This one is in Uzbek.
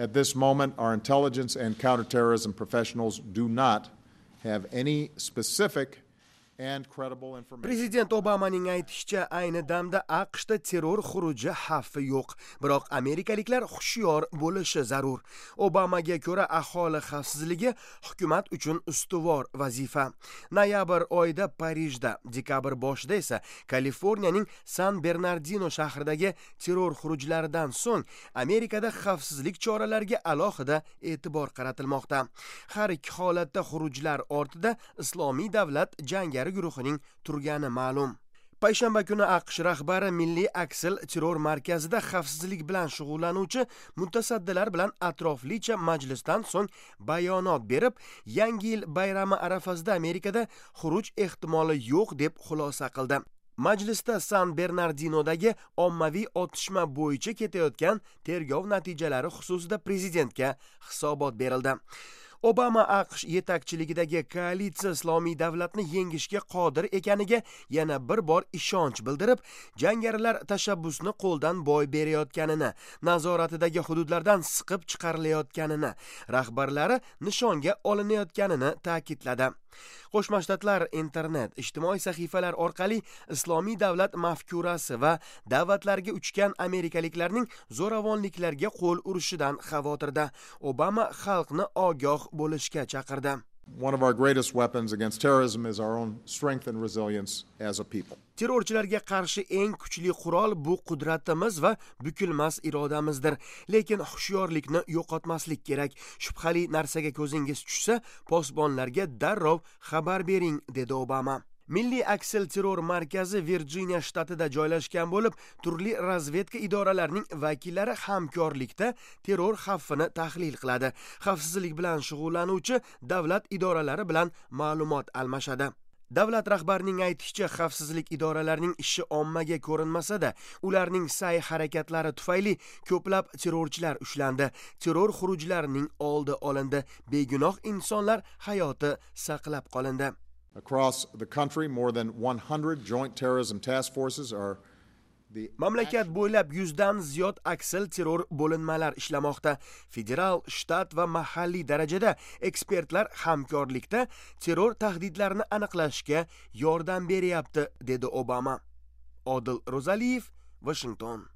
At this moment, our intelligence and counterterrorism professionals do not have any specific and credible information. Prezident Obamaning aytishicha, ayni damda AQShda terror xuruji xavfi yo'q, biroq amerikaliklar hushyor bo'lishi zarur. Obamaga ko'ra, aholi xavfsizligi hukumat uchun ustuvor vazifa. Noyabr oyida Parijda, dekabr boshida esa Kaliforniyaning San Bernardino shahridagi terror xurujlaridan so'ng Amerikada xavfsizlik choralariga alohida e'tibor qaratilmoqda. Har ikki holatda xurujlar ortida Islomiy davlat jangari guruhining turgani ma'lum. Payshanba kuni AQSh rahbari Milliy aksil terror markazida xavfsizlik bilan shug'ullanuvchi mutasaddilar bilan atroflicha majlisdan so'ng bayonot berib, Yangi yil bayrami arafasida Amerikada xuruj ehtimoli yo'q deb xulosa qildi. Majlisda San Bernardinodagi ommaviy otishma bo'yicha ketayotgan tergov natijalari xususida prezidentga hisobot berildi. Obama AQSh yetakchiligidagi koalitsiya Islomiy davlatni yengishga qodir ekaniga yana bir bor ishonch bildirib, jangarilar tashabbusni qo'ldan boy berayotganini, nazoratidagi hududlardan siqib chiqarilayotganini, rahbarlari nishonga olinayotganini ta'kidladi. Qo'shma Shtatlar internet, ijtimoiy sahifalar orqali Islomiy davlat mafkurasi va da'vatlarga uchgan amerikaliklarning zo'ravonliklarga qo'l urishidan xavotirda. Obama xalqni ogoh bo'lishga chaqirdi. One of our greatest weapons against terrorism is our own strength and resilience as a people. Terrorchilarga qarshi eng kuchli qurol bu qudratimiz va bukilmas irodamizdir. Lekin hushyorlikni yo'qotmaslik kerak. Shubhali narsaga ko'zingiz tushsa, posbonlarga darrov xabar bering, dedi Obama. Milliy aksil terror markazi Virjiniya shtatida joylashgan bo'lib, turli razvedka idoralarining vakillari hamkorlikda terror xavfini tahlil qiladi. Xavfsizlik bilan shug'ullanuvchi davlat idoralari bilan ma'lumot almashadi. Davlat rahbarining aytishicha, xavfsizlik idoralarining ishi ommaga ko'rinmasa-da, ularning sa'y-harakatlari tufayli ko'plab terrorchilar ushlandi, terror xurujlarining oldi olindi, begunoh insonlar hayoti saqlab qolindi. Across the country, more than 100 joint terrorism task forces are the Mamlakat bo'ylab 100 dan ziyod aksil terror bo'linmalar ishlamoqda. Federal, shtat va mahalliy darajada ekspertlar hamkorlikda terror tahdidlarini aniqlashga yordam beryapti, dedi Obama. Odil Ro'zaliyev, Washington.